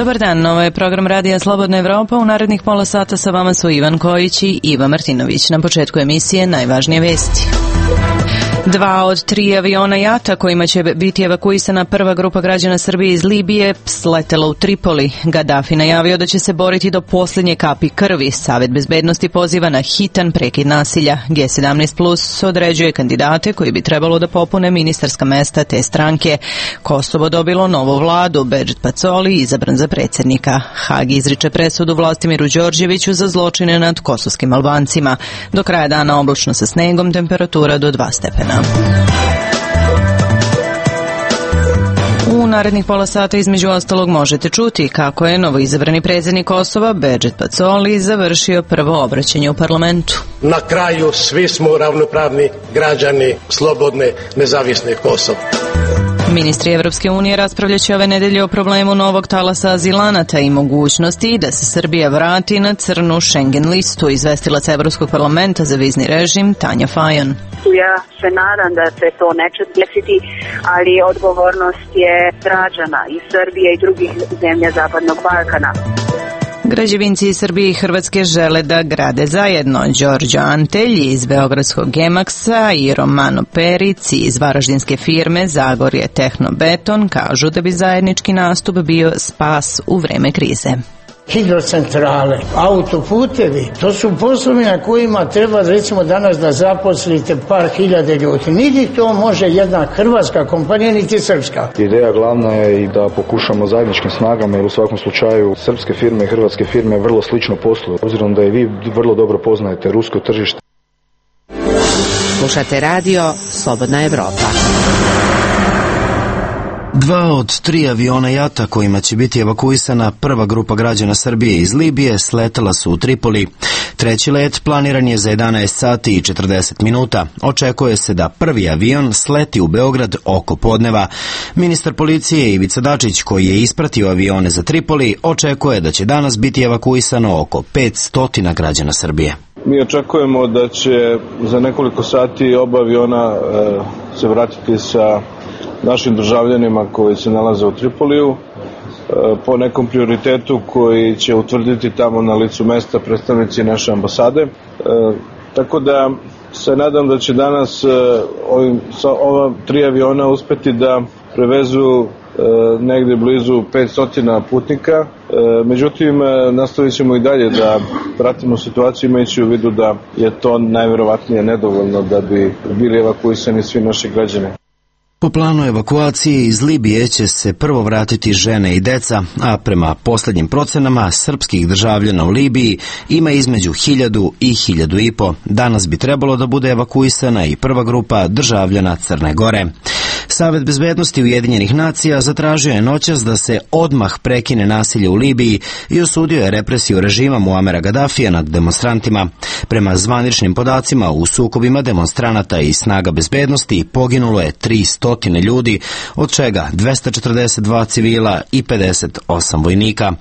Dobar dan, ovo je program Radija Slobodna Evropa. U narednih pola sata sa vama su Ivan Kojić i Iva Martinović. Na početku emisije najvažnije vesti. 2 od 3 aviona JAT-a kojima će biti evakuisana prva grupa građana Srbije iz Libije sletela u Tripoli. Gaddafi najavio da će se boriti do posljednje kapi krvi. Savet bezbednosti poziva na hitan prekid nasilja. G17 Plus određuje kandidate koji bi trebalo da popune ministarska mesta te stranke. Kosovo dobilo novu vladu. Bedžet Pacoli izabran za predsjednika. Hag izriče presudu Vlastimiru Đorđeviću za zločine nad kosovskim Albancima. Do kraja dana oblačno sa snegom, temperatura do 2 stepena. U narednih pola sata između ostalog možete čuti kako je novoizabrani predsjednik Kosova Bedžet Pacoli završio prvo obraćanje u parlamentu. Na kraju svi smo ravnopravni građani slobodne, nezavisne Kosova. Ministri Evropske unije raspravljaće ove nedelje o problemu novog talasa azilanata i mogućnosti da se Srbija vrati na crnu Schengen listu, izvestilac Evropskog parlamenta za vizni režim Tanja Fajon. Ja se nadam da se to neće desiti, ali odgovornost je građana i Srbije i drugih zemlja Zapadnog Balkana. Građevinci iz Srbije i Hrvatske žele da grade zajedno. Đorđo Antelj iz Beogradskog Gemaksa i Romano Peric iz varaždinske firme Zagorje Tehnobeton kažu da bi zajednički nastup bio spas u vreme krize. Hidrocentrale, autoputevi, to su poslovi na kojima treba recimo danas da zaposlite par hiljade ljudi. Niti to može jedna hrvatska kompanija, niti srpska. Ideja glavna je i da pokušamo zajedničkim snagama, jer u svakom slučaju srpske firme i hrvatske firme vrlo slično posluju, obzirom da i vi vrlo dobro poznajete rusko tržište. Slušate radio Slobodna Evropa. 2 od 3 aviona JAT-a kojima će biti evakuisana prva grupa građana Srbije iz Libije sletela su u Tripoli. Treći let planiran je za 11 sati i 40 minuta. Očekuje se da prvi avion sleti u Beograd oko podneva. Ministar policije Ivica Dačić, koji je ispratio avione za Tripoli, očekuje da će danas biti evakuisano oko 500 građana Srbije. Mi očekujemo da će za nekoliko sati oba aviona se vratiti sa našim državljanima koji se nalaze u Tripoliju po nekom prioritetu koji će utvrditi tamo na licu mesta predstavnici naše ambasade. Tako da se nadam da će danas sa ova 3 aviona uspeti da prevezu negde blizu 500 putnika. Međutim, nastavit ćemo i dalje da pratimo situaciju imajući u vidu da je to najverovatnije nedovoljno da bi bili evakuisani svi naši građani. Po planu evakuacije iz Libije će se prvo vratiti žene i deca, a prema posljednjim procenama srpskih državljana u Libiji ima između 1000 i 1500. Danas bi trebalo da bude evakuisana i prva grupa državljana Crne Gore. Savet bezbednosti Ujedinjenih nacija zatražio je noćas da se odmah prekine nasilje u Libiji i osudio je represiju režima Muamera Gaddafija nad demonstrantima. Prema zvaničnim podacima, u sukobima demonstranata i snaga bezbednosti poginulo je 300 ljudi, od čega 242 civila i 58 vojnika.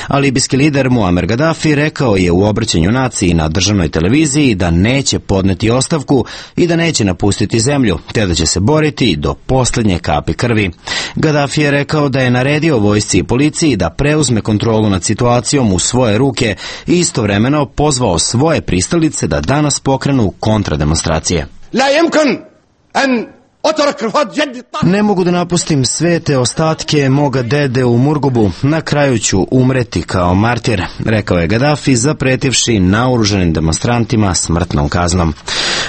A libijski lider Muamer Gaddafi rekao je u obraćanju naciji na državnoj televiziji da neće podneti ostavku i da neće napustiti zemlju, te da će se boriti do posljednje kapi krvi. Gaddafi je rekao da je naredio vojsci i policiji da preuzme kontrolu nad situacijom u svoje ruke i istovremeno pozvao svoje pristalice da danas pokrenu kontrademonstracije. Ne mogu da napustim sve te ostatke moga dede u Murgubu, na kraju ću umreti kao martir, rekao je Gaddafi zapretivši naoružanim demonstrantima smrtnom kaznom.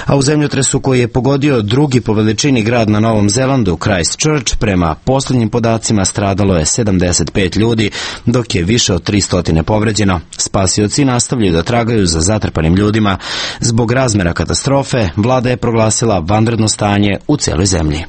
A u zemljotresu koji je pogodio drugi po veličini grad na Novom Zelandu, Christchurch, prema posljednjim podacima stradalo je 75 ljudi, dok je više od 300 povređeno. Spasioci nastavljaju da tragaju za zatrpanim ljudima. Zbog razmera katastrofe, vlada je proglasila vanredno stanje u celoj zemlji.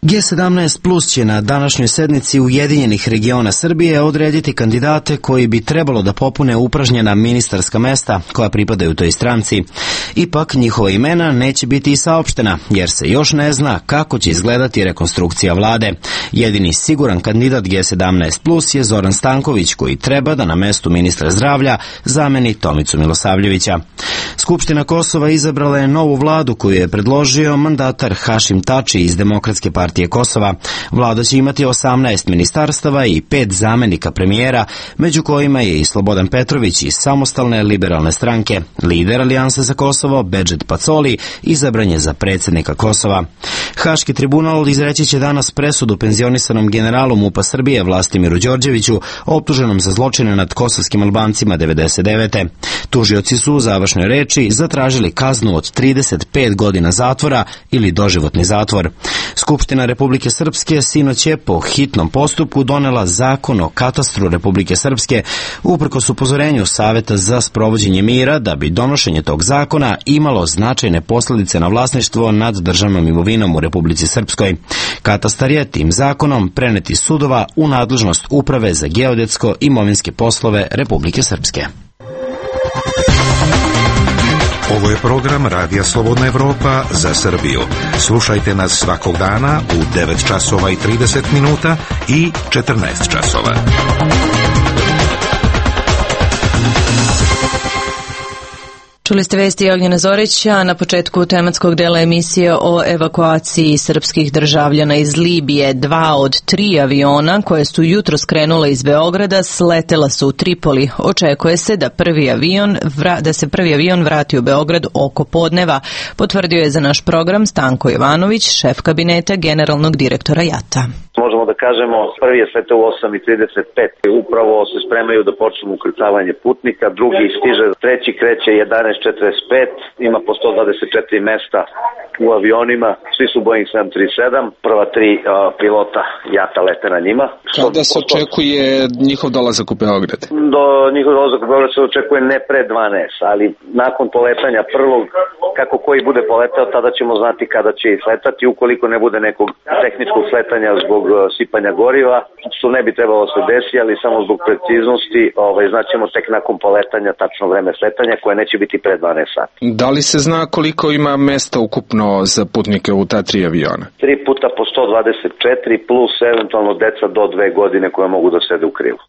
G17 Plus će na današnjoj sednici Ujedinjenih regiona Srbije odrediti kandidate koji bi trebalo da popune upražnjena ministarska mesta koja pripadaju toj stranci. Ipak njihova imena neće biti i saopštena, jer se još ne zna kako će izgledati rekonstrukcija vlade. Jedini siguran kandidat G17 Plus je Zoran Stanković, koji treba da na mestu ministra zdravlja zameni Tomicu Milosavljevića. Skupština Kosova izabrala je novu vladu koju je predložio mandatar Hašim Tači iz Demokratske partije partije Kosova. Vlada će imati 18 ministarstava i 5 zamenika premijera, među kojima je i Slobodan Petrović iz Samostalne liberalne stranke. Lider Alijanse za Kosovo, Bedžet Pacoli, izabran je za predsjednika Kosova. Haški tribunal izreći će danas presudu penzionisanom generalu MUP-a Srbije Vlastimiru Đorđeviću, optuženom za zločine nad kosovskim Albancima 1999. Tužioci su u završnoj reči zatražili kaznu od 35 godina zatvora ili doživotni zatvor. Skupština Republike Srpske sinoć je po hitnom postupku donela zakon o katastru Republike Srpske uprkos upozorenju Saveta za sprovođenje mira da bi donošenje tog zakona imalo značajne posljedice na vlasništvo nad državnom imovinom u Republici Srpskoj. Katastar je tim zakonom prenet iz sudova u nadležnost Uprave za geodetsko-imovinske poslove Republike Srpske. Ovo je program Radija Slobodna Evropa za Srbiju. Slušajte nas svakog dana u 9 časova i 30 minuta i 14 časova. Čuli ste vesti Ognjena Zorića na početku tematskog dela emisije o evakuaciji srpskih državljana iz Libije. 2 od 3 aviona koje su jutro skrenule iz Beograda sletela su u Tripoli. Očekuje se da se prvi avion vrati u Beograd oko podneva, potvrdio je za naš program Stanko Jovanović, šef kabineta generalnog direktora JAT-a. Možemo da kažemo, prvi je sletao u 8:35. Upravo se spremaju da počnu ukrcavanje putnika, drugi stiže, treći kreće 11:45, ima po 124 mesta u avionima, svi su Boeing 737, prva 3 pilota JAT-a lete na njima. Kada se očekuje njihov dolazak u Beograd? Do njihov dolazak u Beograd se očekuje ne pre 12, ali nakon poletanja prvog, kako koji bude poletao, tada ćemo znati kada će sletati, ukoliko ne bude nekog tehničkog sletanja zbog sipanja goriva, što ne bi trebalo se desiti, ali samo zbog preciznosti, znaćemo tek nakon poletanja tačno vreme sletanja, koje neće biti pre 12 sati. Da li se zna koliko ima mesta ukupno za putnike u ta 3 aviona? 3 puta po 124 plus eventualno deca do 2 godine koja mogu da sede u krilu.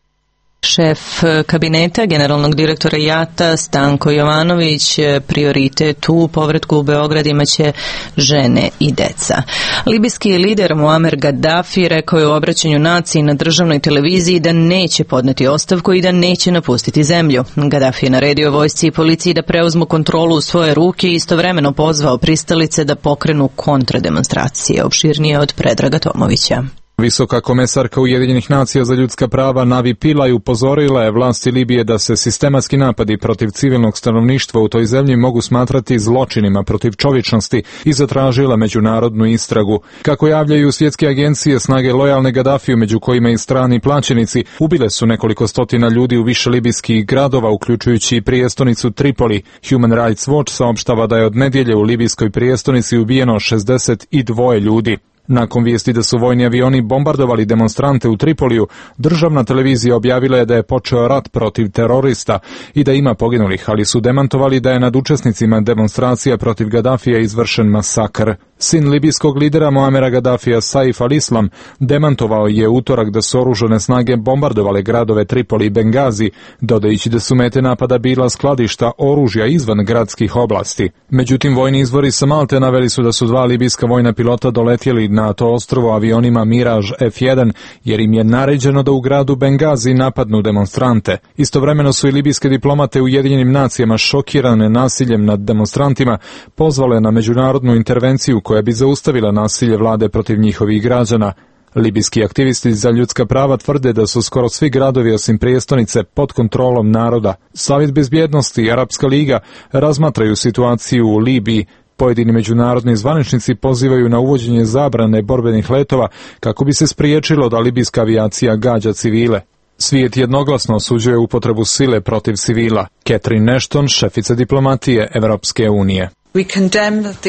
Šef kabineta generalnog direktora JAT-a Stanko Jovanović, prioritet u povratku u Beograd imaće žene i deca. Libijski lider Muamer Gaddafi rekao je u obraćanju naciji na državnoj televiziji da neće podneti ostavku i da neće napustiti zemlju. Gaddafi je naredio vojsci i policiji da preuzmu kontrolu u svoje ruke i istovremeno pozvao pristalice da pokrenu kontrademonstracije. Opširnije od Predraga Tomovića. Visoka komesarka Ujedinjenih nacija za ljudska prava Navi Pillay upozorila je vlasti Libije da se sistematski napadi protiv civilnog stanovništva u toj zemlji mogu smatrati zločinima protiv čovječnosti i zatražila međunarodnu istragu. Kako javljaju svjetske agencije, snage lojalne Gaddafiju, među kojima i strani plaćenici, ubile su nekoliko stotina ljudi u više libijskih gradova, uključujući i prijestonicu Tripoli. Human Rights Watch saopštava da je od nedjelje u libijskoj prijestonici ubijeno 62 ljudi. Nakon vijesti da su vojni avioni bombardovali demonstrante u Tripoliju, državna televizija objavila je da je počeo rat protiv terorista i da ima poginulih, ali su demantovali da je nad učesnicima demonstracija protiv Gaddafija izvršen masakr. Sin libijskog lidera Muamera Gaddafija, Saif al-Islam, demantovao je utorak da su oružane snage bombardovale gradove Tripoli i Bengazi, dodajući da su mete napada bila skladišta oružja izvan gradskih oblasti. Međutim, vojni izvori sa Malte naveli su da su 2 libijska vojna pilota doletjeli na to ostrvo avionima Mirage F1, jer im je naređeno da u gradu Bengazi napadnu demonstrante. Istovremeno su i libijske diplomate u Ujedinjenim nacijama, šokirane nasiljem nad demonstrantima, pozvale na međunarodnu intervenciju koja bi zaustavila nasilje vlade protiv njihovih građana. Libijski aktivisti za ljudska prava tvrde da su skoro svi gradovi osim prijestonice pod kontrolom naroda. Savjet bezbjednosti i Arapska liga razmatraju situaciju u Libiji. Pojedini međunarodni zvaničnici pozivaju na uvođenje zabrane borbenih letova kako bi se spriječilo da libijska avijacija gađa civile. Svijet jednoglasno osuđuje upotrebu sile protiv civila. Catherine Ashton, šefica diplomatije Evropske unije.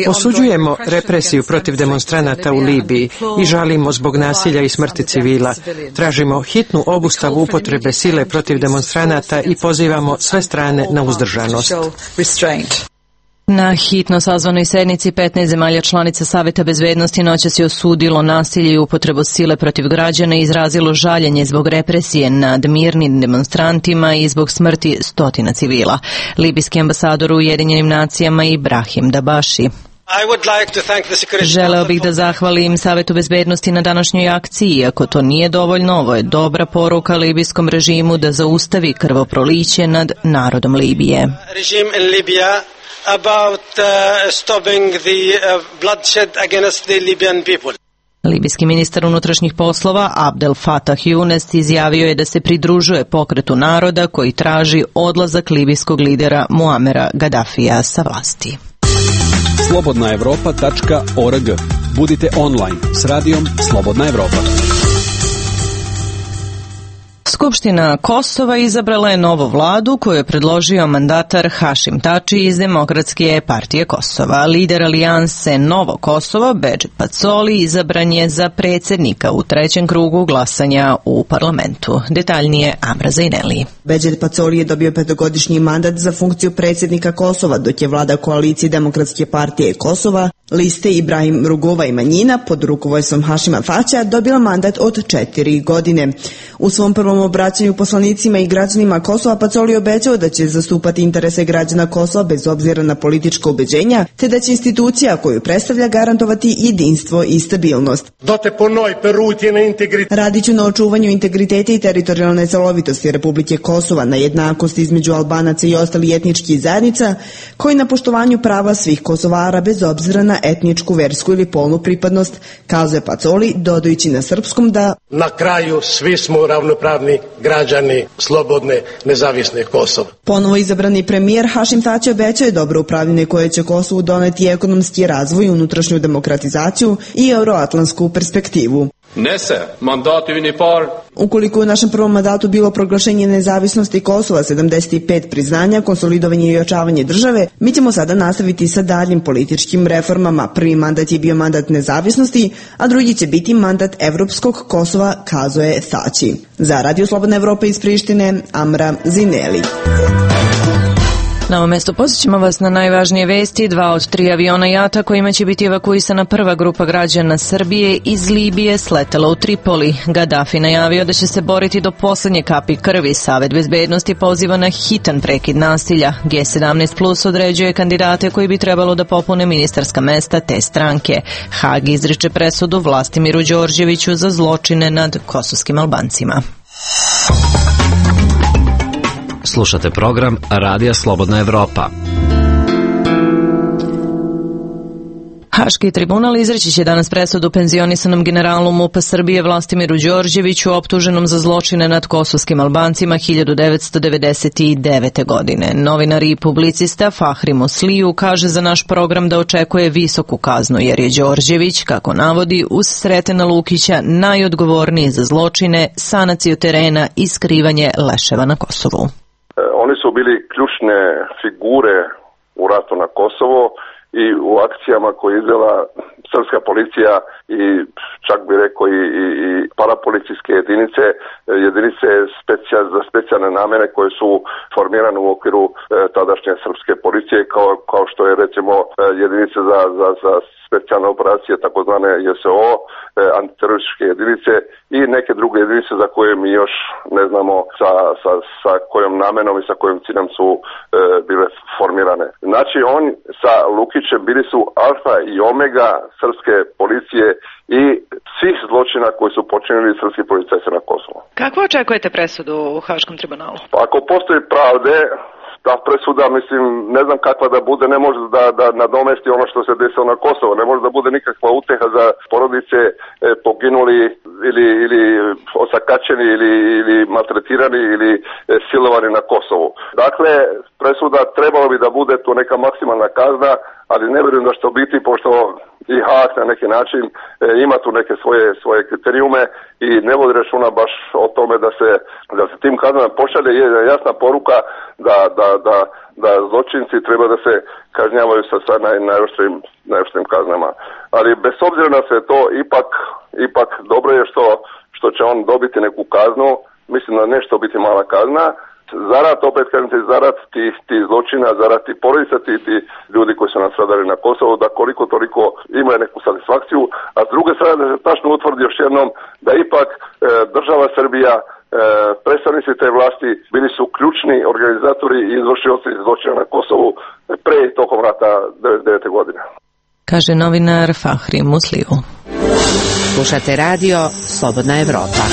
Osuđujemo represiju protiv demonstranata u Libiji i žalimo zbog nasilja i smrti civila. Tražimo hitnu obustavu upotrebe sile protiv demonstranata i pozivamo sve strane na uzdržanost. Na hitno sazvanoj sednici 15 zemalja članica Saveta bezbednosti noćas je osudilo nasilje i upotrebu sile protiv građana i izrazilo žaljenje zbog represije nad mirnim demonstrantima i zbog smrti stotina civila. Libijski ambasador u Ujedinjenim nacijama Ibrahim Dabaši. Želeo bih da zahvalim Savetu bezbednosti na današnjoj akciji. Iako to nije dovoljno, ovo je dobra poruka libijskom režimu da zaustavi krvoproliće nad narodom Libije. Libijski ministar unutrašnjih poslova Abdel Fattah Younes izjavio je da se pridružuje pokretu naroda koji traži odlazak libijskog lidera Muamera Gaddafija sa vlasti. Slobodnaevropa.org. Budite online s radijom Slobodna Evropa. Skupština Kosova izabrala je novu vladu koju je predložio mandatar Hašim Tači iz Demokratske partije Kosova. Lider alijanse Novo Kosovo, Bedžet Pacoli, izabran je za predsjednika u trećem krugu glasanja u parlamentu. Detaljnije Amra Zaineli. Bedžet Pacoli je dobio petogodišnji mandat za funkciju predsjednika Kosova, dok je vlada koalicije Demokratske partije Kosova, liste Ibrahim Rugova i manjina pod rukovodstvom Hašima Tačija dobila mandat od 4 godine. U svom prvom obraćanju poslanicima i građanima Kosova Pacoli obećao da će zastupati interese građana Kosova bez obzira na politička ubeđenja, te da će institucija koju predstavlja garantovati jedinstvo i stabilnost. Radiću na očuvanju integriteta i teritorijalne celovitosti Republike Kosova, na jednakosti između Albanaca i ostalih etničkih zajednica, koji na poštovanju prava svih Kosovara bez obzira na etničku, versku ili polnu pripadnost, kazuje Pacoli, dodajući na srpskom da na kraju svi smo ravnopravni građani slobodne, nezavisne Kosova. Ponovo izabrani premijer Hašim Tači obećao je dobro upravljanje koje će Kosovu doneti ekonomski razvoj, unutrašnju demokratizaciju i euroatlantsku perspektivu. Ukoliko je u našem prvom mandatu bilo proglašenje nezavisnosti Kosova, 75 priznanja, konsolidovanje i ojačavanje države, mi ćemo sada nastaviti sa daljim političkim reformama. Prvi mandat je bio mandat nezavisnosti, a drugi će biti mandat evropskog Kosova, kazuje Tači. Za Radio Slobodna Evropa iz Prištine, Amra Zineli. Na ovom mjestu posjećamo vas na najvažnije vesti. 2 od 3 aviona JAT-a kojima će biti evakuisana prva grupa građana Srbije iz Libije sletela u Tripoli. Gaddafi najavio da će se boriti do posljednje kapi krvi. Savet bezbednosti poziva na hitan prekid nasilja. G17 Plus određuje kandidate koji bi trebalo da popune ministarska mesta te stranke. Hag izriče presudu Vlastimiru Đorđeviću za zločine nad kosovskim Albancima. Slušate program Radija Slobodna Evropa. Haški tribunal izreći će danas presudu penzionisanom generalu MUP-a Srbije Vlastimiru Đorđeviću optuženom za zločine nad kosovskim Albancima 1999. godine. Novinar i publicista Fahri Musliju kaže za naš program da očekuje visoku kaznu jer je Đorđević, kako navodi, uz Sretena Lukića najodgovorniji za zločine, sanaciju terena i skrivanje leševa na Kosovu. Oni su bili ključne figure u ratu na Kosovo i u akcijama koje je izvela srpska policija i čak bi rekao i parapolicijske jedinice za specijalne namene koje su formirane u okviru tadašnje srpske policije kao što je recimo jedinice za specijalne operacije, takozvane JSO, antiterorističke jedinice i neke druge jedinice za koje mi još ne znamo sa kojom namenom i sa kojim ciljem su bile formirane. Znači on sa Lukićem bili su alfa i omega srpske policije i svih zločina koji su počinili srpski policajci na Kosovu. Kako očekujete presudu u Haškom tribunalu? Ako postoji pravde, ta presuda, mislim, ne znam kakva da bude, ne može da nadomesti ono što se desilo na Kosovo, ne može da bude nikakva uteha za porodice poginuli ili osakaćeni ili maltretirani ili silovani na Kosovu. Dakle, presuda trebalo bi da bude to neka maksimalna kazna, ali ne vjerujem da što biti, pošto i Haag na neki način ima tu neke svoje kriterijume i ne vodi računa baš o tome da se tim kaznama pošalje jasna poruka da zločinci treba da se kažnjavaju sa najoštrijim kaznama. Ali bez obzira na sve to, ipak dobro je što će on dobiti neku kaznu, mislim da nešto biti mala kazna, zarad, opet kažem se, zarad tih zločina, zarad tih porodica, ti ljudi koji su nastradali na Kosovu, da koliko toliko imaju neku satisfakciju, a s druge strane da se tačno utvrdi još jednom da ipak država Srbija, predstavnici te vlasti bili su ključni organizatori i izvršioci zločina na Kosovu pre i tokom rata 1999. godine. kaže novinar Fahri Musliju. Slušate radio Slobodna Evropa.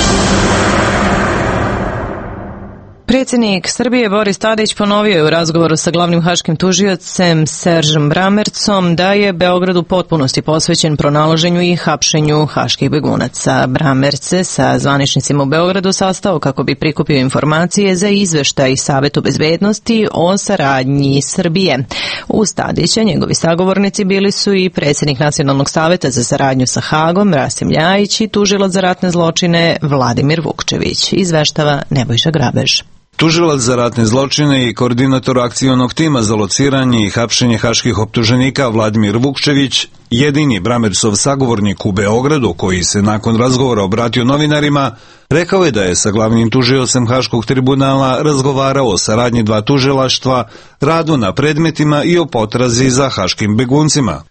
Predsjednik Srbije Boris Tadić ponovio je u razgovoru sa glavnim haškim tužiocem Seržem Bramercom da je Beograd u potpunosti posvećen pronalaženju i hapšenju haških begunaca. Bramerc se sa zvaničnicima u Beogradu sastao kako bi prikupio informacije za izveštaj Savetu bezbednosti o saradnji Srbije. Uz Tadića njegovi sagovornici bili su i predsjednik Nacionalnog saveta za saradnju sa Hagom Rasim Ljajić i tužilac za ratne zločine Vladimir Vukčević, izveštava Nebojša Grabež. Tužilac za ratne zločine i koordinator akcionog tima za lociranje i hapšenje haških optuženika Vladimir Vukčević, jedini Bramercov sagovornik u Beogradu koji se nakon razgovora obratio novinarima, rekao je da je sa glavnim tužiocem Haškog tribunala razgovarao o saradnji dva tužilaštva, radu na predmetima i o potrazi za haškim beguncima.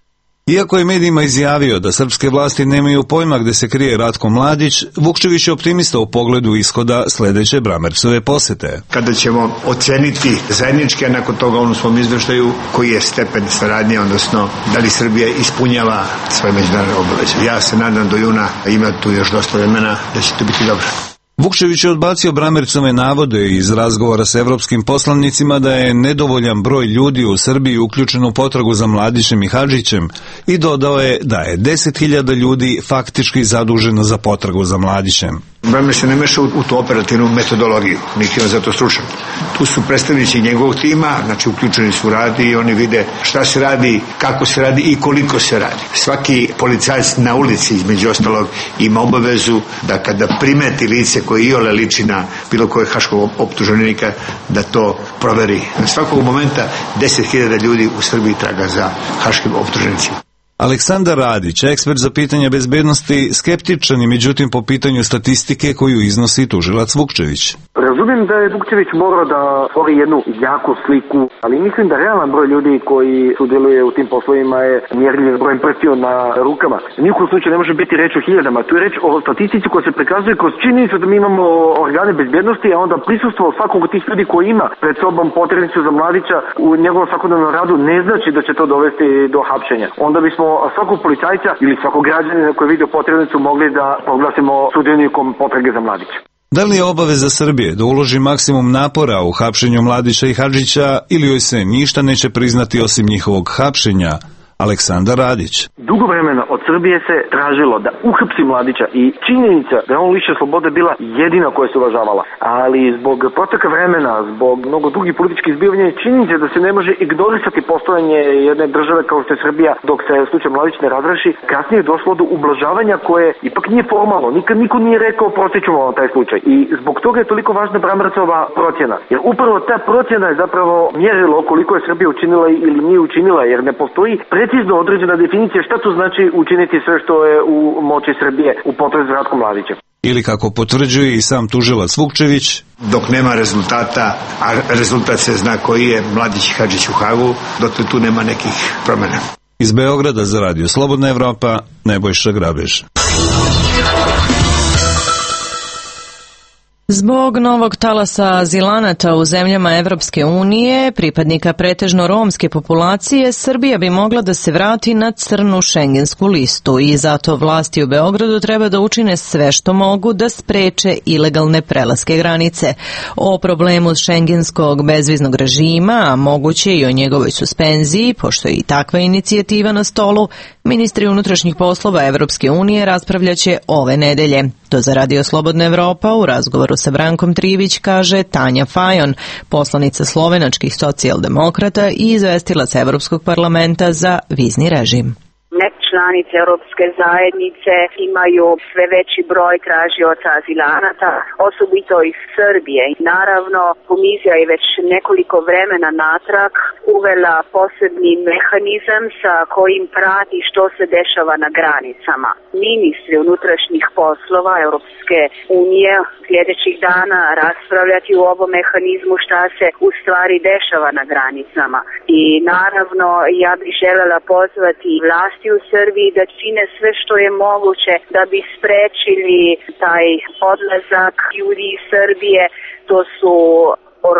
Iako je medijima izjavio da srpske vlasti nemaju pojma gde se krije Ratko Mladić, Vukčević je optimista u pogledu ishoda sledeće Bramercove posete. Kada ćemo oceniti zajednički, a nakon toga u svom izveštaju koji je stepen saradnje, odnosno da li Srbija ispunjava svoje međunarodne obaveze. Ja se nadam do juna, ima tu još dosta vremena, da će to biti dobro. Vukčević je odbacio Bramercove navode iz razgovora sa evropskim poslanicima da je nedovoljan broj ljudi u Srbiji uključen u potragu za Mladićem i Hadžićem i dodao je da je 10.000 ljudi faktički zaduženo za potragu za Mladićem. Bramer se ne meša u tu operativnu metodologiju, niti on za to stručan. Tu su predstavnici njegovog tima, znači uključeni su u rad i oni vide šta se radi, kako se radi i koliko se radi. Svaki policajac na ulici, između ostalog, ima obavezu da kada primeti lice koje iole liči na bilo kojeg haškog optuženika, da to proveri. Na svakog momenta 10.000 ljudi u Srbiji traga za haškim optuženicima. Aleksandar Radić, ekspert za pitanja bezbednosti, skeptičan je međutim po pitanju statistike koju iznosi tužilac Vukčević. Razumijem da je Vukčević morao da stvori jednu jaku sliku, ali mislim da realan broj ljudi koji sudjeluje u tim poslovima je mjerljiv brojem prstiju na rukama. Nijekom slučaju ne može biti reč o hiljadama, tu je reč o statistici koja se prikazuje kroz činjenicu da mi imamo organe bezbednosti, a onda prisustvo svakog od tih ljudi koji ima pred sobom potrebnicu za Mladića u njegovom svakodnevnom radu ne znači da će to dovesti do hapšenja. Onda bismo svakog policajca ili svakog građanina koji vidi potrebnicu mogli da proglasimo sudionikom potrage za Mladića. Da li je obaveza Srbije da uloži maksimum napora u hapšenju Mladića i Hadžića ili joj se ništa neće priznati osim njihovog hapšenja? Aleksandar Radić. Dugo vremena od Srbije se tražilo da uhapsi Mladića i činjenica da je on lišen slobode bila jedina koja se uvažavala. Ali zbog proteka vremena, zbog mnogo drugih političkih zbivanja i činjenica da se ne može ignorisati postojanje jedne države kao što je Srbija dok se slučaj Mladić ne razreši, kasnije je došlo do ublažavanja koje ipak nije formalno. Nikad niko nije rekao prostit ćemo vam taj slučaj. I zbog toga je toliko važna Bramercova procjena. Jer upravo ta procjena je zapravo mjerilo koliko je Srbija učinila ili nije učinila, jer ne postoji precizno određena definicija šta to znači učiniti sve što je u moći Srbije u potrazi za Ratkom Mladićem. Ili kako potvrđuje i sam tužilac Vukčević, dok nema rezultata, a rezultat se zna koji je Mladić i Hadžić u Hagu, dotle tu nema nekih promjena. Iz Beograda za Radio Slobodna Evropa, Nebojša Grabež. Zbog novog talasa azilanata u zemljama Evropske unije, pripadnika pretežno romske populacije, Srbija bi mogla da se vrati na crnu šengensku listu i zato vlasti u Beogradu treba da učine sve što mogu da spreče ilegalne prelaske granice. O problemu šengenskog bezviznog režima, a moguće i o njegovoj suspenziji, pošto je i takva inicijativa na stolu, ministri unutrašnjih poslova Evropske unije raspravljaće ove nedelje. To za Radio Slobodna Evropa u razgovoru sa Brankom Trivić kaže Tanja Fajon, poslanica slovenačkih socijaldemokrata i izvestilac Evropskog parlamenta za vizni režim. Članice Europske zajednice imaju sve veći broj tražioca azilanata, osobito iz Srbije. Naravno, komisija je već nekoliko vremena natrag uvela posebni mehanizam sa kojim prati što se dešava na granicama. Ministri unutrašnjih poslova Europske unije sljedećih dana raspravljati u ovom mehanizmu šta se u stvari dešava na granicama. I naravno, ja bih želela pozvati vlasti u Srbiji da čine sve što je moguće da bi sprečili taj odlazak ljudi iz Srbije. To su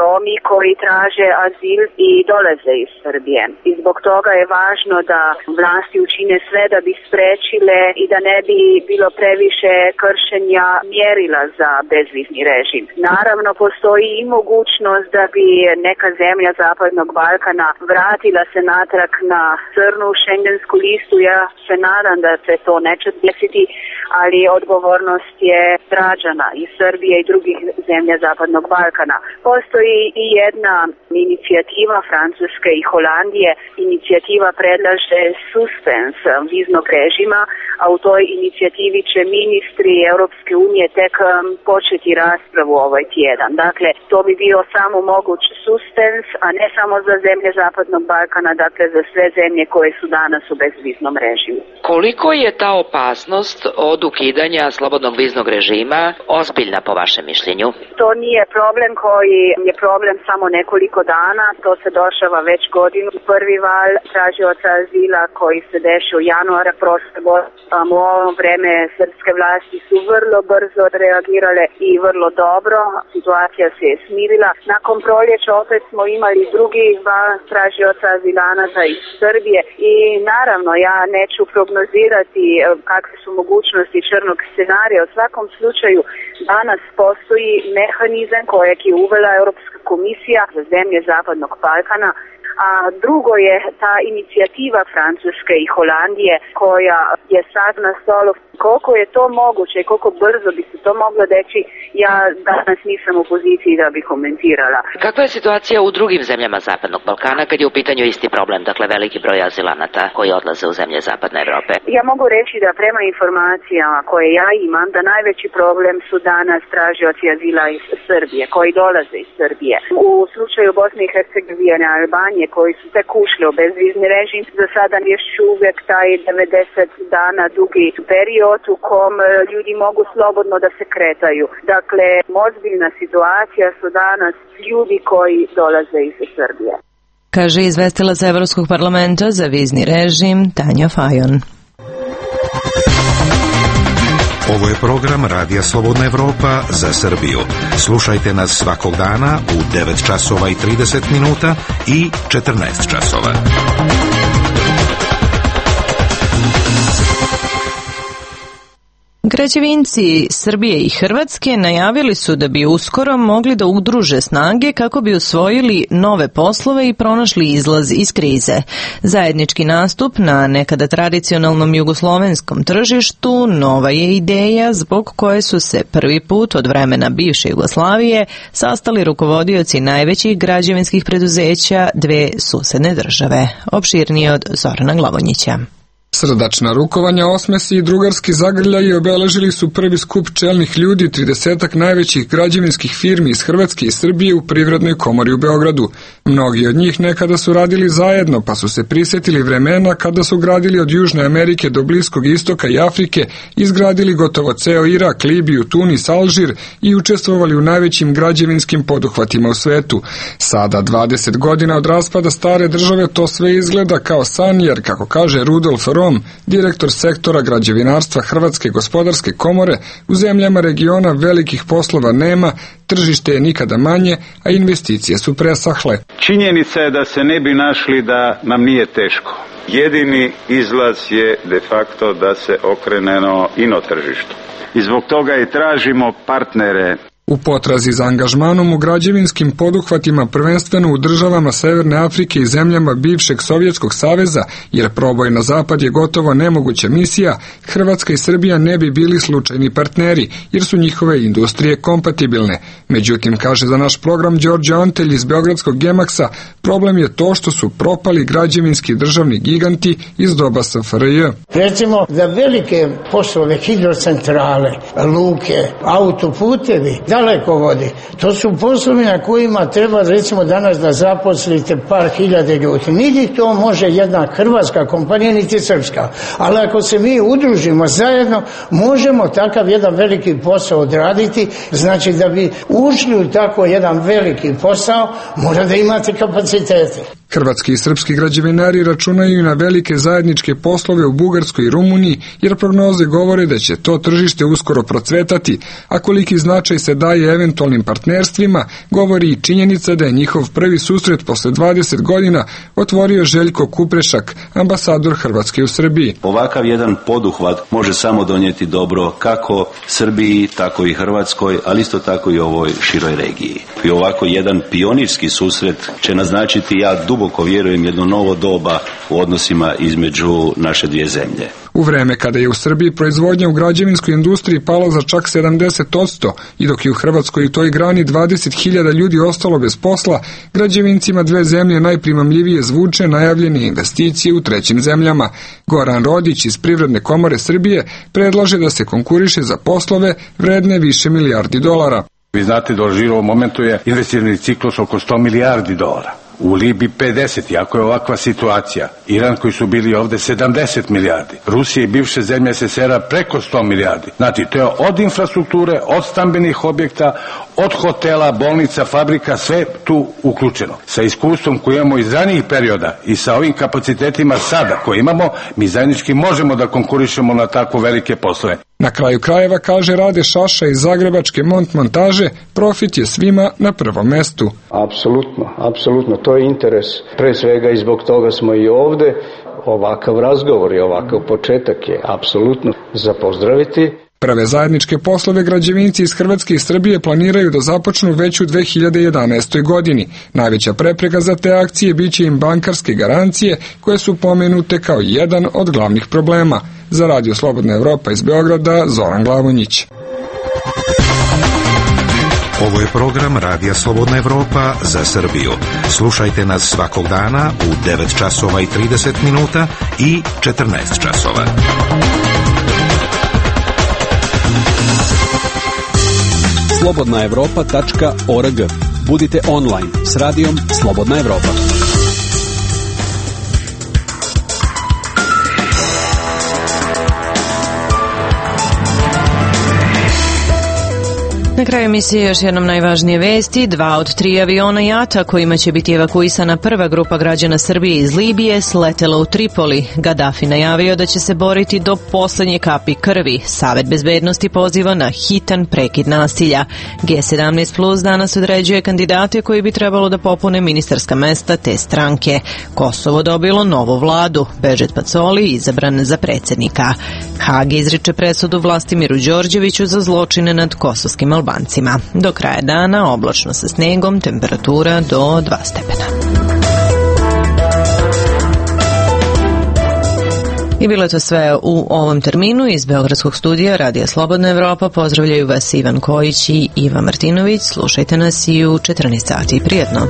Romi koji traže azil i dolaze iz Srbije. I zbog toga je važno da vlasti učine sve da bi sprečile i da ne bi bilo previše kršenja mjerila za bezvizni režim. Naravno, postoji i mogućnost da bi neka zemlja Zapadnog Balkana vratila se natrag na crnu šengensku listu. Ja se nadam da se to neće desiti, ali odgovornost je građana iz Srbije i drugih zemlja Zapadnog Balkana. Postoji i jedna inicijativa Francuske i Holandije. Inicijativa predlaže suspens viznog režima, a u toj inicijativi će ministri Europske unije tek početi raspravu ovaj tjedan. Dakle, to bi bio samo moguć suspens, a ne samo za zemlje Zapadnog Balkana, dakle za sve zemlje koje su danas u bezviznom režimu. Koliko je ta opasnost od ukidanja slobodnog viznog režima ozbiljna po vašem mišljenju? To nije problem koji je problem samo nekoliko dana, to se dešava već godinu. Prvi val tražioca azila koji se dešava u januara prošle godine. U ovo vreme srpske vlasti su vrlo brzo reagirale i vrlo dobro. Situacija se je smirila. Nakon proljeća opet smo imali drugi val tražioca azilanata iz Srbije i naravno ja neću prognozirati kakve su mogućnosti crnog scenarija. U svakom slučaju danas postoji mehanizam kojeg je uvela Europska komisija za zemlje Zapadnog Balkana, a drugo je ta inicijativa Francuske i Holandije koja je sad na stolu. Koliko je to moguće i koliko brzo bi se to moglo deći, ja danas nisam u poziciji da bi komentirala. Kakva je situacija u drugim zemljama Zapadnog Balkana kad je u pitanju isti problem, dakle veliki broj azilanata koji odlaze u zemlje Zapadne Evrope? Ja mogu reći da prema informacijama koje ja imam, da najveći problem su danas tražioci azila iz Srbije, koji dolaze iz Srbije. U slučaju Bosne i Hercegovine, Albanije, koji su tek ušli u bezvizni režim, za sada još uvijek taj 90 dana dugi period u kom ljudi mogu slobodno da se kretaju. Dakle, ozbiljna situacija su danas ljudi koji dolaze iz Srbije. Kaže izvestilac Evropskog parlamenta za vizni režim Tanja Fajon. Ovo je program Radija Slobodna Evropa za Srbiju. Slušajte nas svakog dana u 9 časova i 30 minuta i 14 časova. Građevinci Srbije i Hrvatske najavili su da bi uskoro mogli da udruže snage kako bi osvojili nove poslove i pronašli izlaz iz krize. Zajednički nastup na nekada tradicionalnom jugoslovenskom tržištu nova je ideja zbog koje su se prvi put od vremena bivše Jugoslavije sastali rukovodioci najvećih građevinskih preduzeća dve susedne države. Opširnije od Zorana Glavonjića. Srdačna rukovanja, osmesi i drugarski zagrljaji obeležili su prvi skup čelnih ljudi 30-ak najvećih građevinskih firmi iz Hrvatske i Srbije u Privrednoj komori u Beogradu. Mnogi od njih nekada su radili zajedno, pa su se prisjetili vremena kada su gradili od Južne Amerike do Bliskog istoka i Afrike, izgradili gotovo ceo Irak, Libiju, Tunis, Alžir i učestvovali u najvećim građevinskim poduhvatima u svetu. Sada, 20 godina od raspada stare države, to sve izgleda kao san, jer, kako kaže Rudolf Rom, direktor sektora građevinarstva Hrvatske gospodarske komore, u zemljama regiona velikih poslova nema, tržište je nikada manje, a investicije su presahle. Činjenica je da se ne bi našli da nam nije teško. Jedini izlaz je de facto da se okrenemo ino tržištu. I zbog toga i tražimo partnere. U potrazi za angažmanom u građevinskim poduhvatima, prvenstveno u državama Severne Afrike i zemljama bivšeg Sovjetskog saveza, jer proboj na zapad je gotovo nemoguća misija, Hrvatska i Srbija ne bi bili slučajni partneri, jer su njihove industrije kompatibilne. Međutim, kaže za naš program Đorđe Antelj iz Beogradskog Gemaksa, problem je to što su propali građevinski državni giganti iz doba SFRJ. Recimo, za velike poslove, hidrocentrale, luke, autoputevi, dalekovodi, to su poslovi na kojima treba recimo danas da zaposlite par hiljade ljudi. Niti to može jedna hrvatska kompanija, niti srpska. Ali ako se mi udružimo zajedno, možemo takav jedan veliki posao odraditi. Znači da bi ušli u tako jedan veliki posao, mora da imate kapacitete. Hrvatski i srpski građevinari računaju i na velike zajedničke poslove u Bugarskoj i Rumuniji, jer prognoze govore da će to tržište uskoro procvetati, a koliki značaj se daje eventualnim partnerstvima, govori i činjenica da je njihov prvi susret posle 20 godina otvorio Željko Kuprešak, ambasador Hrvatske u Srbiji. Ovakav jedan poduhvat može samo donijeti dobro kako Srbiji, tako i Hrvatskoj, ali isto tako i ovoj široj regiji. I ovako jedan pionirski susret će naznačiti, ja duboko vjerujem, jedno novo doba u odnosima između naše dvije zemlje. U vreme kada je u Srbiji proizvodnja u građevinskoj industriji pala za čak 70% i dok je u Hrvatskoj i toj grani 20.000 ljudi ostalo bez posla, građevincima dve zemlje najprimamljivije zvuče najavljene investicije u trećim zemljama. Goran Rodić iz Privredne komore Srbije predlaže da se konkuriše za poslove vredne više milijardi dolara. Vi znate da u ovom momentu je investicioni ciklus oko 100 milijardi dolara. U Libiji 50, iako je ovakva situacija. Iran koji su bili ovde 70 milijardi. Rusija i bivše zemlje SSR-a preko 100 milijardi. Znači, to je od infrastrukture, od stambenih objekta, od hotela, bolnica, fabrika, sve tu uključeno. Sa iskustvom koje imamo iz ranijih perioda i sa ovim kapacitetima sada koje imamo, mi zajednički možemo da konkurišemo na tako velike poslove. Na kraju krajeva, kaže Rade Šaša iz zagrebačke Montmontaže, profit je svima na prvom mestu. Apsolutno, to je interes. Pre svega i zbog toga smo i ovde. Ovakav razgovor i ovakav početak je apsolutno za pozdraviti. Prve zajedničke poslove građevinci iz Hrvatske i Srbije planiraju da započnu već u 2011. godini. Najveća prepreka za te akcije biće im bankarske garancije, koje su pomenute kao jedan od glavnih problema. Za Radio Slobodna Evropa iz Beograda, Zoran Glavonjić. Ovo je program Radija Slobodna Evropa za Srbiju. Slušajte nas svakog dana u 9 časova i 30 minuta i 14 časova. slobodnaevropa.org. Budite online s radijom Slobodna Evropa. Na kraju emisije još jednom najvažnije vesti. 2 od 3 aviona JAT-a kojima će biti evakuisana prva grupa građana Srbije iz Libije sletela u Tripoli. Gadafi najavio da će se boriti do poslednje kapi krvi. Savet bezbednosti poziva na hitan prekid nasilja. G17 Plus danas određuje kandidate koji bi trebalo da popune ministarska mesta te stranke. Kosovo dobilo novu vladu. Bežet Pacoli izabran za predsjednika. Hag izriče presudu Vlastimiru Đorđeviću za zločine nad kosovskim Albancima. Do kraja dana oblačno sa snegom, temperatura do 2 stepena. I bilo je to sve u ovom terminu. Iz Beogradskog studija Radija Slobodna Evropa pozdravljaju vas Ivan Kojić i Iva Martinović. Slušajte nas i u 14 sati. Prijetno!